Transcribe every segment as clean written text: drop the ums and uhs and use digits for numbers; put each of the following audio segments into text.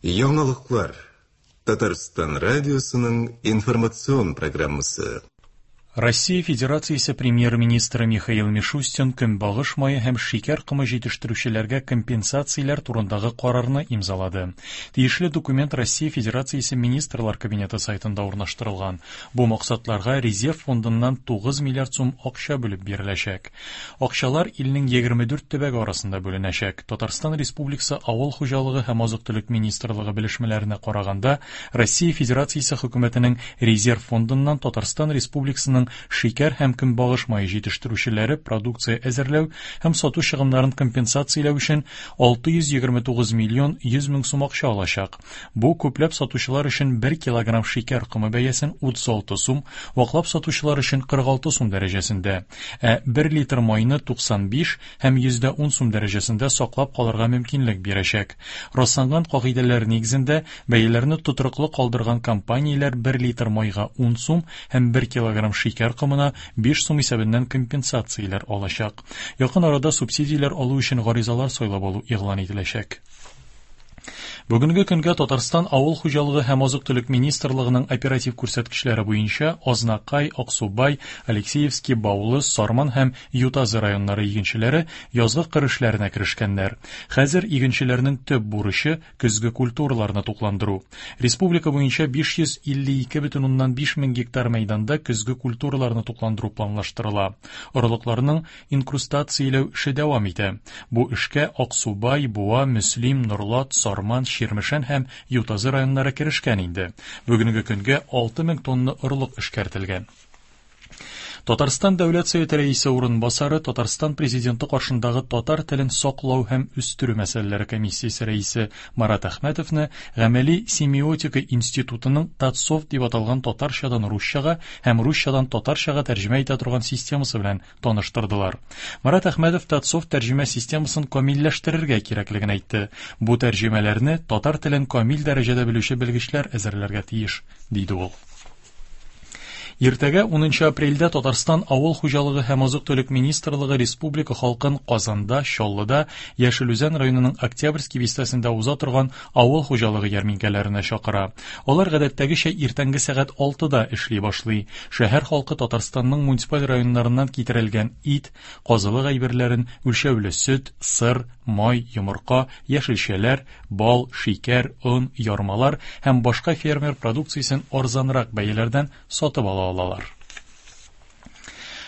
Яңалыклар. Татарстан радиосының информацион программасы. Россия Федерациясе Премьер-министры Михаил Мишустин көнбагыш мае һәм шикәр комы җитештерүчеләргә компенсацияләр турындагы карарны имзалады. Тиешле документ Россия Федерациясе Министрлар Кабинеты сайтында урнаштырылган. Бу максатларга резерв фондыннан 9 миллиард сум акча бүлеп биреләчәк. Акчалар илнең 24 төбәге арасында бүленәчәк. Татарстан Республикасы Авыл хуҗалыгы һәм азык-төлек министрлыгы белешмәләренә караганда, Россия Федерациясе Хөкүмәтенең резерв фондыннан Татарстан Республикасының шикәр һәм көнбагыш мае җитештерүчеләре продукция әзерләү һәм сату чыгымнарын компенсацияләү өчен 629 миллион 100 мең сум акча алачак. Бу күпләп сатучылар өчен 1 килограмм шикәр комы бәясен 36 сум, ваклап сатучылар өчен 46 сум дәрәҗәсендә, ә 1 литр майны 95 һәм 10 сум дәрәҗәсендә саклап калырга мөмкинлек бирәчәк. Расланган кагыйдәләр нигезендә, бәяләрне тотрыклы калдырган компанияләр 1 литр майга 10 сум һәм 1 килограмм шикәр комына 5 сум исәбеннән компенсацияләр алачак. Якын арада субсидияләр алу өчен гаризалар сайлап алу игълан ителәчәк. Бүгенге көнгә Татарстан Авыл хуҗалыгы һәм азык-төлек министрлыгының оператив күрсәткечләре буенча Азнакай, Аксубай, Алексеевский, Баулы, Сарман һәм Ютазы районнары игенчеләре язгы кыр эшләренә керешкәннәр. Хәзер игенчеләрнең төп бурычы көзге культураларны тукландыру. Республика буенча 552,5 мең гектар мәйданда көзге культураларны тукландыру планлаштырыла. Орлыкларның инкрустацияләү эше дәвам итә. Бу эшкә Аксубай, Буа, Мөслим, Норлат, Сарман, Чирмешән һәм Ютазы районнары керешкән инде. Бүгенге көнгә 6000 тонна орлык эшкәртелгән. Татарстан Дәүләт Советы рәисе урынбасары, Татарстан Президенты каршындагы татар телен саклау һәм үстерү мәсьәләләре комиссиясе рәисе Марат Әхмәтовны Гамәли семиотика институтының Татсофт дип аталган татарчадан русчага һәм русчадан татарчага тәрҗемә итә торган системасы белән таныштырдылар. Марат Әхмәтов Татсофт тәрҗемә системасын камилләштерергә кирәклеген әйтте. Бу тәрҗемәләрне татар телен камил дәрәҗәдә белүче белгечләр әзерләргә тиеш, диде ул. Иртәгә 10 апрельдә Татарстан Авыл хуҗалыгы һәм азык-төлек министрлыгы республика халкын Казанда, Чаллыда, Яшел Үзән районының Октябрьский бистәсендә уза торган авыл хуҗалыгы ярминкәләренә чакыра. Алар гадәттәгечә иртәнге сәгать 6-да эшли башлый. Шәһәр халкы Татарстанның муниципаль районнарыннан китерелгән ит, казылык әйберләрен, үлчәүле сөт, сыр, май, йомырка, яшелчәләр, бал, шикәр, он, ярмалар һәм башка фермер продукциясен арзанрак бәяләрдән сатып ала алалар.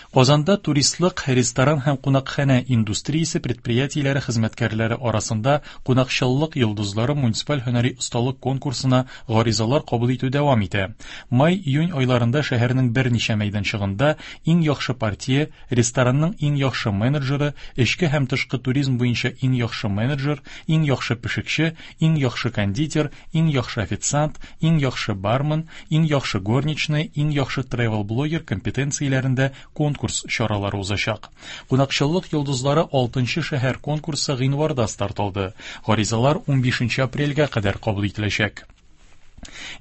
Казанда туристлык, ресторан һәм кунакханә индустриясе предприятиеләре хезмәткәрләре арасында Кунакчыллык йолдызлары муниципаль һөнәри осталык конкурсына гаризалар кабул итү дәвам итә. Май-июнь айларында шәһәрнең берничә мәйданчыгында иң яхшы портье, ресторанның иң яхшы менеджеры, эчке һәм тышкы туризм буенча иң яхшы менеджер, иң яхшы пешекче, иң яхшы кондитер, иң яхшы официант, иң яхшы бармен, иң яхшы горничная, иң яхшы тревел-блогер компетенцияләрендә конкурс чаралары узачак. Кунакчыллык йолдызлары 6 шәһәр конкурсы гыйнварда старт алды. Гаризалар 15 апрельгә кадәр кабул ителәчәк.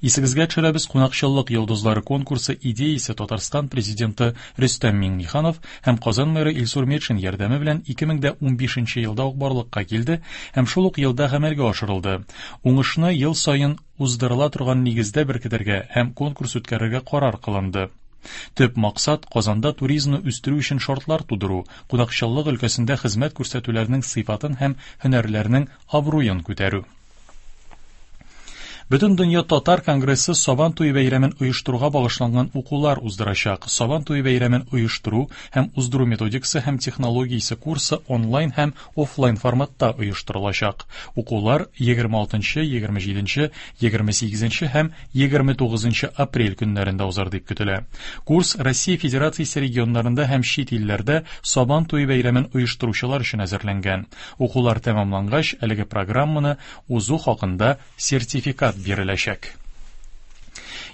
Исегезгә төшерәбез, Кунакчыллык йолдызлары конкурсы идеясе Татарстан президенты Рөстәм Миңнеханов һәм Казан мэры Илсур Метшин ярдәме белән 2015 елда ук барлыкка килде һәм шул ук елда гамәлгә ашырылды. Уңышны ел саен уздырыла торган нигездә беркетергә һәм конкурс үткәрергә карар кылынды. Төп максат Казанда туризмны үстерү өчен шартлар тудыру, кунакчыллык өлкәсендә хезмәт күрсәтүләрнең сыйфатын һәм һөнәрләрнең абруен күтәрү. Бөтендөнья татар конгрессы Сабан туе бәйрәмен оештыруга багышланган укулар уздырачак. Сабан туе бәйрәмен оештыру һәм уздыру методикасы һәм технологиясе курсы онлайн һәм офлайн форматта оештырылачак. Укулар 26, 27, 28 һәм 29 апрель көннәрендә узар дип көтелә. Курс Россия Федерациясе регионнарында һәм чит илләрдә Сабан туе бәйрәмен оештыручылар өчен әзерләнгән. Укулар тәмамлангач, әлеге программаны узу хакында сертификат биреләчәк.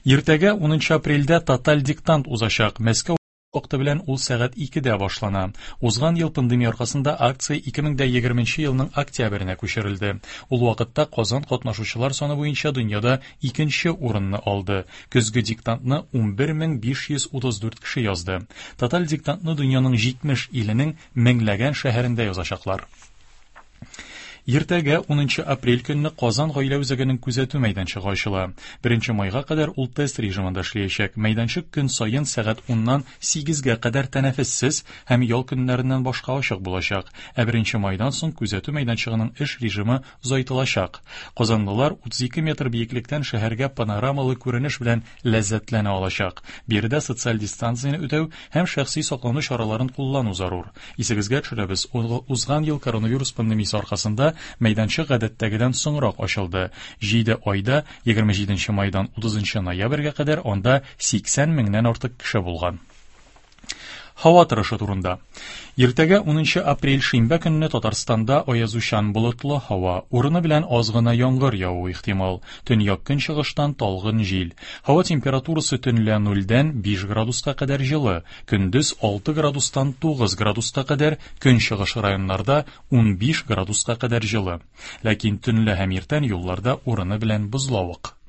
Иртәгә 10 апрельдә тоталь диктант узачак. Мәскәү вакыты белән ул сәгать 2-дә башлана. Узган ел пандемия аркасында акция 2020 елның октябренә күчерелде. Ул вакытта Казан катнашучылар саны буенча дөньяда икенче урынны алды. Көзге диктантны 11534 кеше язды. Тоталь диктантны дөньяның 70 иленең меңләгән шәһәрендә язачаклар. Иртәгә, унынчы апрель көнне Казан гаилә үзәгенең күзәтү мәйданчыгы ачыла. Беренче майга кадәр ул тест режимында эшләячәк. Мәйданчык көн саен сәгать уннан сигезгә кадәр тәнәфессез һәм ял көннәреннән башка ачык булачак. Ә беренче майдан соң күзәтү мәйданчыгының эш режимы озайтылачак. Казанлылар 32 метр биеклектән шәһәргә панорамалы күренеш белән ләззәтләнә алачак. Биредә социаль дистанцияне үтәү һәм шәхси саклану чараларын куллану зарур. Исегезгә төшерәбез, узган ел коронавирус пандемиясе аркасында мәйданчык гадәттәгедән соңрак ачылды. 7 айда 27 майдан 30 ноябрьгә кадәр анда 80 меңнән артык кеше булган. Һава торышы турында. Иртәгә 10 апрель шимбә көнне Татарстанда аязучан болытлы һава, урыны белән аз гына яңгыр явуы ихтимал. Төньяк көнчыгыштан талгын җил. Һава температурасы төнлә нульдән 5 градуска кадәр җылы, көндез 6 градустан 9 градуска кадәр, көнчыгыш районнарда 15 градуска кадәр җылы. Ләкин төнлә һәм иртән юлларда урыны белән бозлавык.